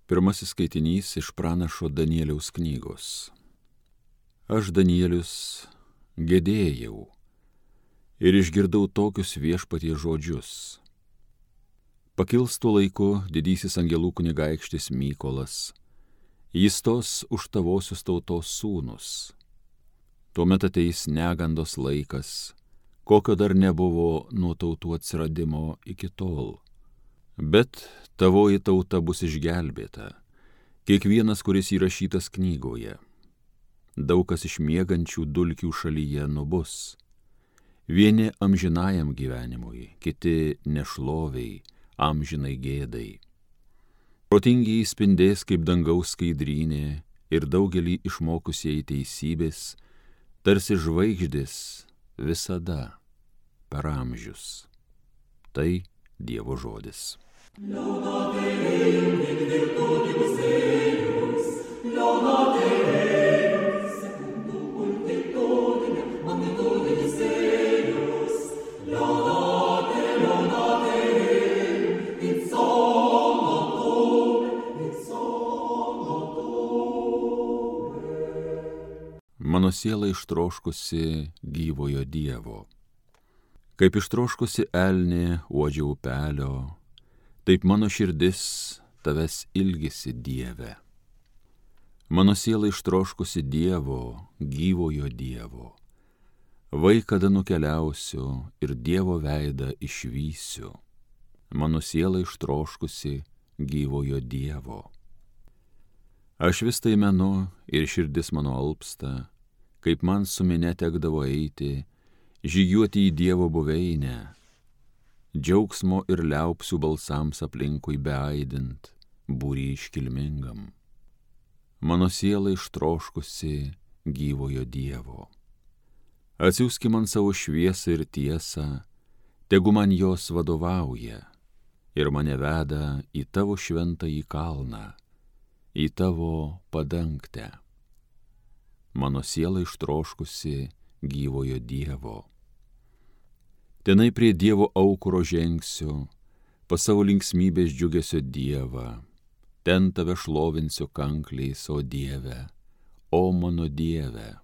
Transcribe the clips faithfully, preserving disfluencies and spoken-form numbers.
Pirmasis skaitinys iš pranašo Danieliaus knygos. Aš, Danielius, gedėjau ir išgirdau tokius viešpaties žodžius. Pakils tuo laiku didysis angelų kunigaikštis Mykolas, jis tos už tavosius tautos sūnus. Tuomet ateis negandos laikas, kokio dar nebuvo nuo tautų atsiradimo iki tol. Bet tavoji tauta bus išgelbėta, kiekvienas, kuris įrašytas knygoje. Daug kas iš miegančių dulkių šalyje nubus. Vieni amžinajam gyvenimui, kiti nešloviai, amžinai gėdai. Protingiai spindės kaip dangaus skaidrynė ir daugelį išmokusieji teisybės, tarsi žvaigždės visada per amžius. Tai Dievo žodis. Laudate Deum in virtutibus eius, laudate Deum secundum multitudinem magnitudinis eius, laudate, laudate Deum in somnotum, in somnotum. Mano siela ištroškusi gyvojo Dievo. Kaip ištroškusi elnė uodžia upelio, taip mano širdis tavęs ilgisi, Dieve. Mano siela ištroškusi Dievo, gyvojo Dievo. Vai kada nukeliausiu ir Dievo veidą išvysiu. Mano siela ištroškusi gyvojo Dievo. Aš vis tai menu ir širdis mano alpsta, kaip man su minia tekdavo eiti, žygiuoti į Dievo buveinę, džiaugsmo ir liaupsių balsams aplinkui beaidint, būrį iškilmingam. Mano siela ištroškusi gyvojo Dievo. Atsiųski man savo šviesą ir tiesą, tegu man jos vadovauja ir mane veda į tavo šventąjį kalną, į tavo padangtę. Mano siela ištroškusi gyvojo Dievo. Tenai prie Dievo aukuro žengsiu, pas savo linksmybės džiugesio Dievą, ten tave šlovinsiu kankliais, o Dieve, o mano Dieve.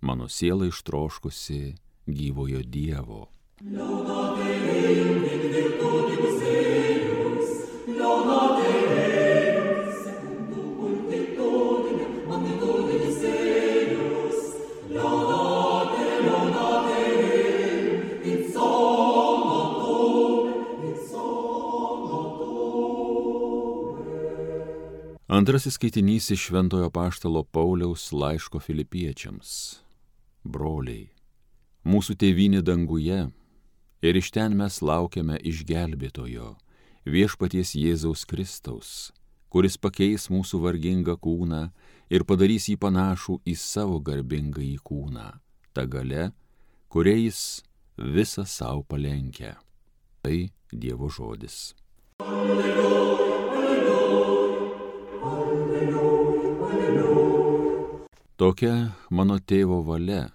Mano siela ištroškusi gyvojo Dievo. Laudate Deum in virtutibus eius, laudate Deum secundum multitudinem magnitudinis eius, laudate, laudate Deum in somnotum, in somnotum. Antrasis skaitinys iš Šventojo apaštalo Pauliaus laiško Filipiečiams. Broliai, mūsų tėvynė danguje, ir iš ten mes laukiame išgelbėtojo, viešpaties Jėzaus Kristaus, kuris pakeis mūsų vargingą kūną ir padarys jį panašų į savo garbingąjį kūną, ta galia, kuria jis visą savo palenkia. Tai Dievo žodis. Alleluja, alleluja, alleluja, alleluja. Tokia mano tėvo valia,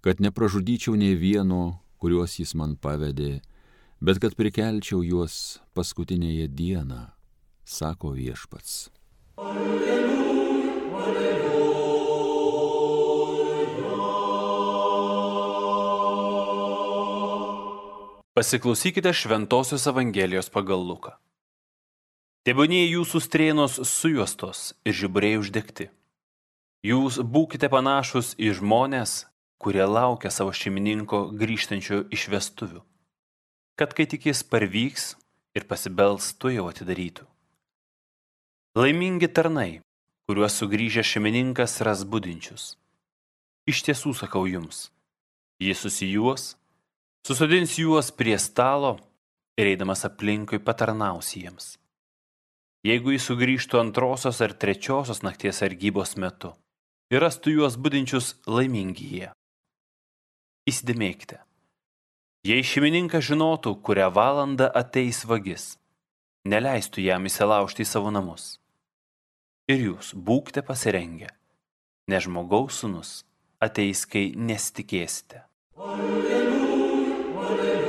kad nepražudyčiau nė vieno, kuriuos jis man pavedė, bet kad prikelčiau juos paskutinėje dieną, sako viešpats. Alleluja, alleluja. Pasiklausykite Šventosios Evangelijos pagal Luką. Tebūnie jūsų strėnos sujuostos ir žiburiai uždegti. Jūs būkite panašus į žmones, kurie laukia savo šeimininko grįžtančio iš vestuvių, kad kai tik jis parvyks ir pasibels, tuojau atidarytų. Laimingi tarnai, kuriuos sugrįžęs šeimininkas ras budinčius. Iš tiesų sakau jums, jis susijuos, susodins juos prie stalo ir eidamas aplinkui patarnaus jiems. Jeigu jis sugrįžtų antrosios ar trečiosios nakties sargybos metu ir rastų juos budinčius, laimingi jie. Įsidėmėkite, jei šeimininkas žinotų, kurią valandą ateis vagis, neleistų jam įsilaužti į savo namus. Ir jūs būkite pasirengę, nes žmogaus sūnus ateis, kai nesitikėsite. Alleluja, alleluja.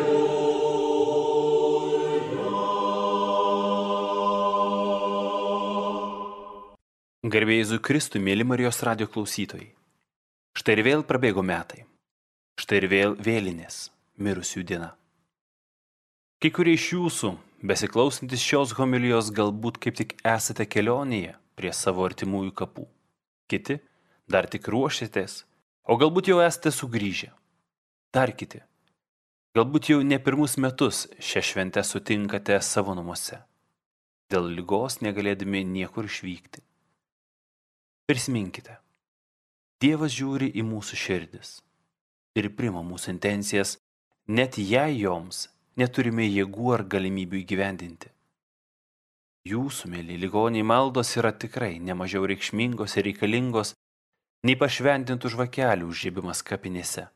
Garbė Jėzui Kristui, mėly Marijos radijo klausytojai. Štai ir vėl prabėgo metai. Štai ir vėl vėlinės, mirusių diena. Kai kurie iš jūsų, besiklausantis šios homilijos, galbūt kaip tik esate kelionėje prie savo artimųjų kapų. Kiti dar tik ruošiatės, o galbūt jau esate sugrįžę. Dar kiti. Galbūt jau ne pirmus metus šią šventę sutinkate savo namuose, dėl ligos negalėdami niekur išvykti. Prisiminkite, Dievas žiūri į mūsų širdis ir priima mūsų intencijas, net jei joms neturime jėgų ar galimybių įgyvendinti. Jūsų, mėly ligoniai, maldos yra tikrai nemažiau reikšmingos ir reikalingos nei pašventintų žvakelių užžiebimas kapinėse.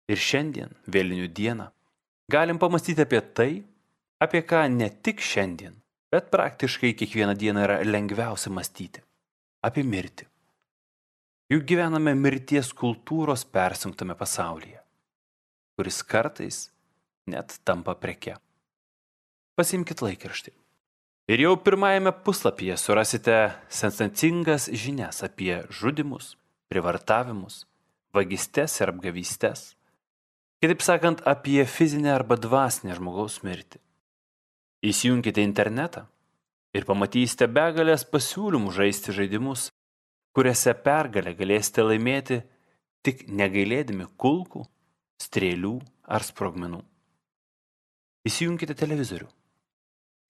Ir šiandien, vėlinių dieną, galim pamastyti apie tai, apie ką ne tik šiandien, bet praktiškai kiekvieną dieną yra lengviausia mąstyti – apie mirtį. Juk gyvename mirties kultūros persunktame pasaulyje, kuris kartais net tampa preke. Pasiimkit laikraštį. Ir jau pirmajame puslapyje surasite sensacingas žinias apie žudymus, privartavimus, vagystes ir apgavystes. Kitaip sakant, apie fizinę arba dvasinę žmogaus mirtį. Įsijunkite internetą ir pamatysite begalės pasiūlymų žaisti žaidimus, kuriuose pergalę galėsite laimėti tik negailėdami kulkų, strėlių ar sprogmenų. Įsijunkite televizorių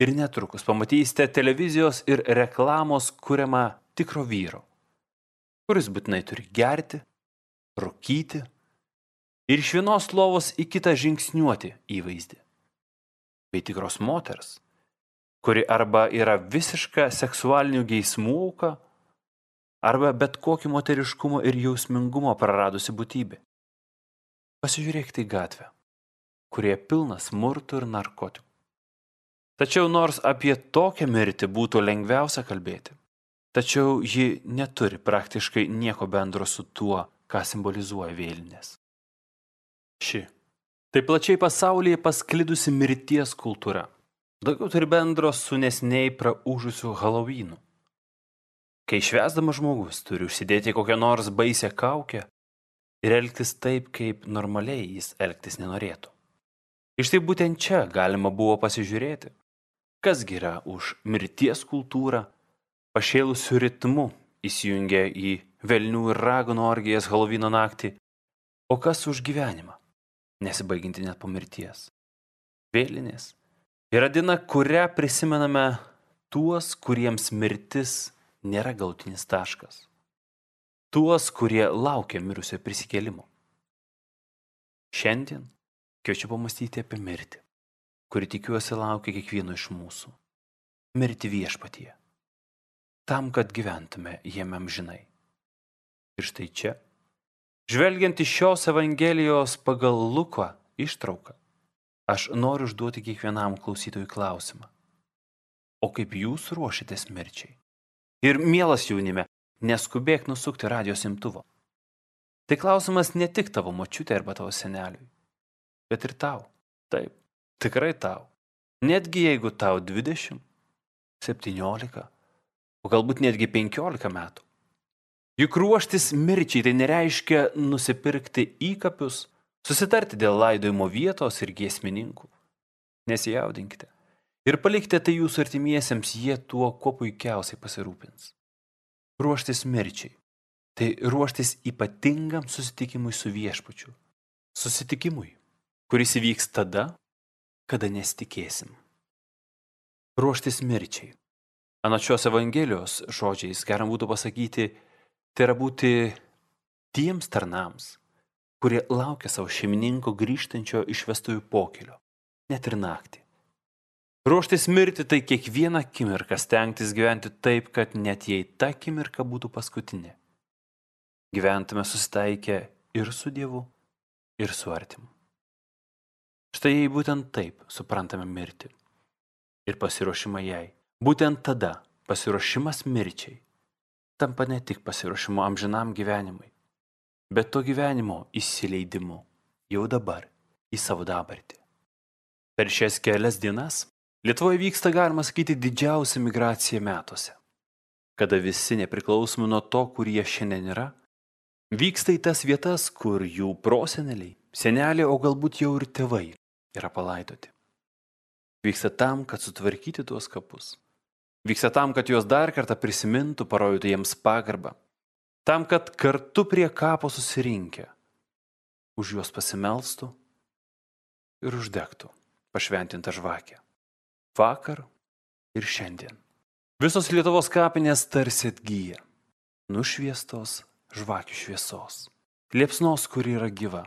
ir netrukus pamatysite televizijos ir reklamos kuriamą tikro vyro, kuris būtinai turi gerti, rūkyti ir iš vienos lovos į kitą žingsniuoti įvaizdį. Bei tikros moters, kuri arba yra visiška seksualinių geismų auka, arba bet kokį moteriškumo ir jausmingumo praradusi būtybė. Pasižiūrėkite į gatvę, kurie pilna smurtų ir narkotikų. Tačiau nors apie tokią mirtį būtų lengviausia kalbėti, tačiau ji neturi praktiškai nieko bendro su tuo, ką simbolizuoja vėlinės. Ši, tai plačiai pasaulyje pasklidusi mirties kultūra, daugiau turi bendro su neseniai praūžusiu Halovynu. Kai švęsdamas žmogus turi užsidėti kokią nors baisią kaukę ir elgtis taip, kaip normaliai jis elgtis nenorėtų. Iš tai būtent čia galima buvo pasižiūrėti, kasgi yra už mirties kultūrą, pašėlusių ritmu įsijungia į velnių ir raganų orgijas Halovyno naktį, o kas už gyvenimą, nesibaiginti net po mirties. Vėlinės yra diena, kurią prisimename tuos, kuriems mirtis nėra galutinis taškas. Tuos, kurie laukia mirusio prisikėlimo. Šiandien kviečiu pamastyti apie mirtį, kuri tikiuosi laukia kiekvieno iš mūsų. Mirti viešpatyje. Tam, kad gyventume jame amžinai. Ir štai čia, žvelgiant iš šios evangelijos pagal Luką ištrauką, aš noriu užduoti kiekvienam klausytojui klausimą. O kaip jūs ruošitės mirčiai? Ir mielas jaunime, neskubėk nusukti radijo imtuvo. Tai klausimas ne tik tavo močiutė arba tavo seneliui, bet ir tau. Taip, tikrai tau. Netgi jeigu tau dvidešimt, septyniolika, o galbūt netgi penkiolika metų. Juk ruoštis mirčiai tai nereiškia nusipirkti įkapius, susitarti dėl laidojimo vietos ir giesmininkų. Nesijaudinkite. Ir palikite tai jūsų artimiesiems, jie tuo kuo puikiausiai pasirūpins. Ruoštis mirčiai. Tai ruoštis ypatingam susitikimui su viešpačiu. Susitikimui, kuris įvyks tada, kada nesitikėsim. Ruoštis mirčiai. Anot šios evangelijos žodžiais galima būtų pasakyti, tai yra būti tiems tarnams, kurie laukia savo šeimininko grįžtančio iš vestuvių pokylio, net ir naktį. Ruoštis mirti tai kiekvieną akimirką stengtis gyventi taip, kad net jei ta akimirka būtų paskutinė, gyventume susitaikę ir su Dievu, ir su artimu. Štai jei būtent taip suprantame mirtį ir pasiruošimą jai, būtent tada pasiruošimas mirčiai tampa ne tik pasiruošimu amžinam gyvenimui, bet to gyvenimo įsileidimu jau dabar į savo dabartį. Per šias kelias dienas Lietuvoje vyksta, galima sakyti, didžiausia migracija metuose. kada visi nepriklausomai nuo to, kur jie šiandien yra, vyksta į tas vietas, kur jų proseneliai, seneliai, o galbūt jau ir tėvai yra palaidoti. Vyksta tam, kad sutvarkyti tuos kapus. Vyksta tam, kad juos dar kartą prisimintų, parodytų jiems pagarbą. Tam, kad kartu prie kapo susirinkę už juos pasimelstų ir uždegtų pašventintą žvakę. Vakar ir šiandien. Visos Lietuvos kapinės tarsi atgyja, nušviestos žvakių šviesos. Liepsnos, kuri yra gyva.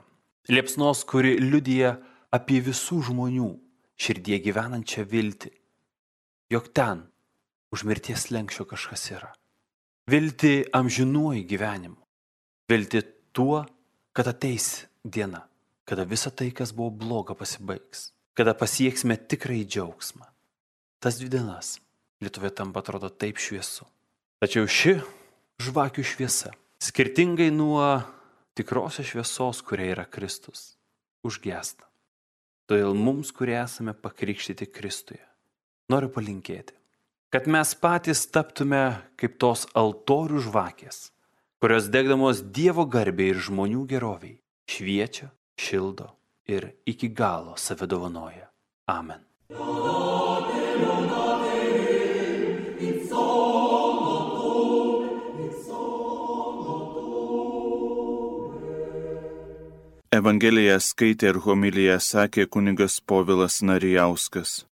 Liepsnos, kuri liudija apie visų žmonių širdie gyvenančią viltį, jog ten už mirties slenksčio kažkas yra. Viltį amžinuoju gyvenimu. Viltį tuo, kad ateis diena, kada visa tai, kas buvo bloga, pasibaigs. Kada pasieksime tikrai džiaugsmą. Tas dvi dienas Lietuvoje tampa atrodo taip šviesu. Tačiau ši žvakių šviesa, skirtingai nuo tikrosios šviesos, kuria yra Kristus, užgęsta. Todėl mums, kurie esame pakrikštyti Kristuje, noriu palinkėti, kad mes patys taptume kaip tos altorių žvakės, kurios degdamos Dievo garbei ir žmonių geroviai šviečia, šildo ir iki galo save dovanoja. Amen. Evangeliją skaitė ir homiliją sakė kunigas Povilas Narijauskas.